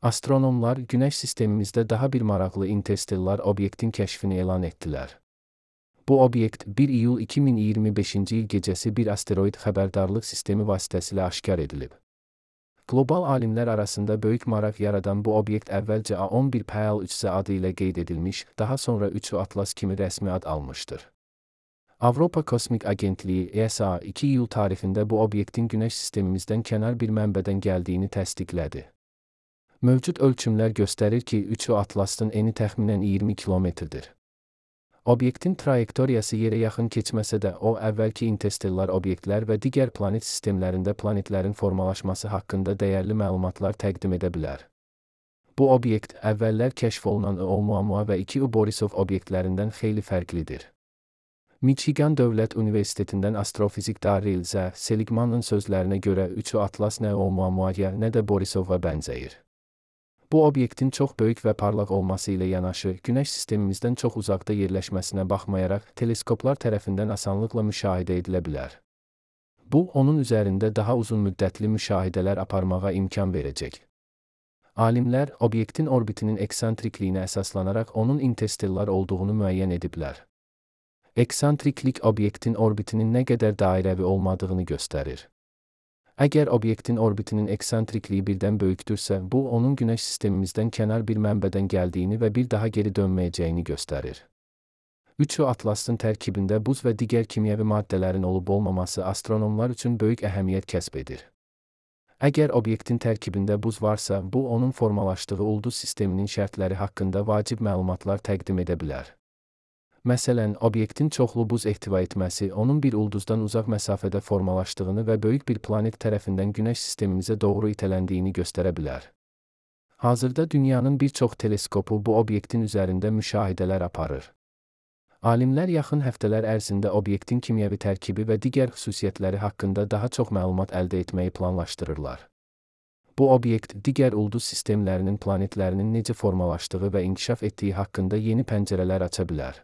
Astronomlar Günəş sistemimizdə daha bir maraqlı interstellar obyektin kəşfini elan etdilər. Bu obyekt 1 iyul 2025-ci il gecəsi bir asteroid xəbərdarlıq sistemi vasitəsilə aşkar edilib. Qlobal alimlər arasında böyük maraq yaradan bu obyekt əvvəlcə A11 PL3C adı ilə qeyd edilmiş, daha sonra 3U Atlas kimi rəsmi ad almışdır. Avropa Kosmik Agentliyi ESA 2 iyul tarixində bu obyektin Günəş sistemimizdən kənar bir mənbədən gəldiyini təsdiqlədi. Mövcud ölçümlər göstərir ki, 3U Atlas'ın eni təxminən 20 kilometrdir. Obyektin trayektoriyası yerə yaxın keçməsə də, o, əvvəlki interstellar obyektlər və digər planet sistemlərində planetlərin formalaşması haqqında dəyərli məlumatlar təqdim edə bilər. Bu obyekt, əvvəllər kəşf olunan Oumuamua və 2U Borisov obyektlərindən xeyli fərqlidir. Michigan Dövlət Universitetindən astrofizik Darryl Z. Seligman'ın sözlərinə görə 3U Atlas nə Oumuamuaya, nə də Borisova bənzəyir. Bu obyektin çox böyük və parlaq olması ilə yanaşı, Günəş sistemimizdən çox uzaqda yerləşməsinə baxmayaraq, teleskoplar tərəfindən asanlıqla müşahidə edilə bilər. Bu, onun üzərində daha uzun müddətli müşahidələr aparmağa imkan verəcək. Alimlər, obyektin orbitinin eksantrikliyinə əsaslanaraq onun interstellar olduğunu müəyyən ediblər. Eksantriklik obyektin orbitinin nə qədər dairəvi olmadığını göstərir. Əgər obyektin orbitinin eksantrikliyi birdən böyükdürsə, bu, onun Günəş sistemimizdən kənar bir mənbədən gəldiyini və bir daha geri dönməyəcəyini göstərir. 3U Atlas'ın tərkibində buz və digər kimyəvi maddələrin olub-olmaması astronomlar üçün böyük əhəmiyyət kəsb edir. Əgər obyektin tərkibində buz varsa, bu, onun formalaşdığı ulduz sisteminin şərtləri haqqında vacib məlumatlar təqdim edə bilər. Məsələn, obyektin çoxlu buz ehtiva etməsi, onun bir ulduzdan uzaq məsafədə formalaşdığını və böyük bir planet tərəfindən Günəş sistemimizə doğru itələndiyini göstərə bilər. Hazırda dünyanın bir çox teleskopu bu obyektin üzərində müşahidələr aparır. Alimlər yaxın həftələr ərzində obyektin kimyəvi tərkibi və digər xüsusiyyətləri haqqında daha çox məlumat əldə etməyi planlaşdırırlar. Bu obyekt, digər ulduz sistemlərinin planetlərinin necə formalaşdığı və inkişaf etdiyi haqqında yeni pəncərələr aça bilər.